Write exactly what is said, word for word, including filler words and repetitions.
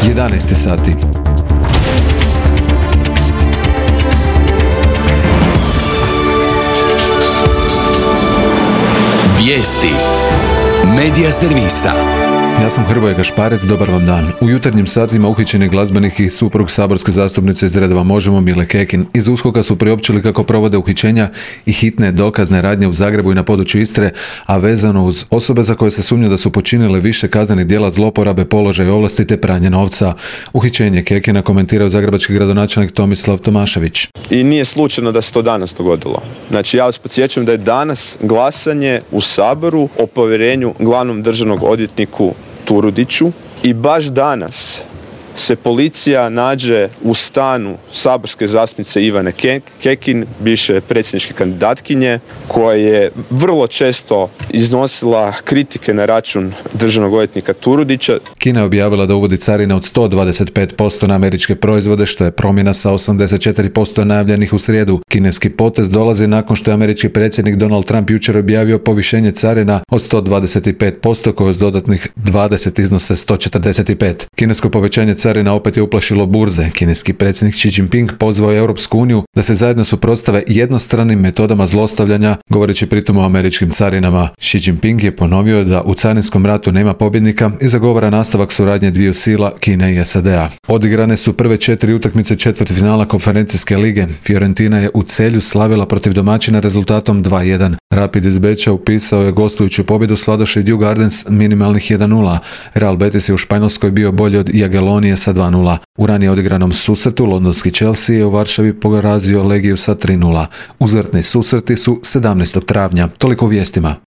jedanaest sati. Vijesti Medija servisa. Ja sam Hrvoje Gašparec, dobar vam dan. U jutarnjim satima uhićen je glazbenik i suprug saborske zastupnice iz redova Možemo Mile Kekin. Iz USKOK-a su priopćili kako provode uhićenja i hitne dokazne radnje u Zagrebu i na području Istre, a vezano uz osobe za koje se sumnja da su počinile više kaznenih djela zloporabe položaja i ovlasti te pranje novca. Uhićenje Kekina komentirao zagrebački gradonačelnik Tomislav Tomašević. I nije slučajno da se to danas dogodilo. Znači, ja vas podsjećam da je danas glasanje u Saboru o povjerenju glavnom državnog odvjetniku Turudiću i baš danas se policija nađe u stanu saborske zastupnice Ivane Kekin, bivše predsjedničke kandidatkinje, koja je vrlo često iznosila kritike na račun državnog odvjetnika Turudića. Kina je objavila da uvodi carine od sto dvadeset pet posto na američke proizvode, što je promjena sa osamdeset četiri posto najavljenih u srijedu. Kineski potez dolazi nakon što je američki predsjednik Donald Trump jučer objavio povišenje carina od sto dvadeset pet posto koje s dodatnih dvadeset iznose sto četrdeset pet. Kinesko povećanje carina opet je uplašilo burze. Kineski predsjednik Xi Jinping pozvao je Europsku uniju da se zajedno suprotstave jednostranim metodama zlostavljanja, govoreći pritom o američkim carinama. Xi Jinping je ponovio da u carinskom ratu nema pobjednika i zagovara nastavak suradnje dviju sila, Kine i S A D-a. Odigrane su prve četiri utakmice četvrtfinala konferencijske lige. Fiorentina je u Celju slavila protiv domaćina rezultatom dva jedan. Rapid iz Beča upisao je gostujuću pobjedu sladoši Djue Gardens minimalnih jedan nula. Real Betis je u Španjolskoj bio bolji od Jagelonije sa dva nula. U ranije odigranom susretu londonski Chelsea je u Varšavi porazio Legiju sa tri nula. Uzvratni susreti su sedamnaestog travnja. Toliko u vijestima.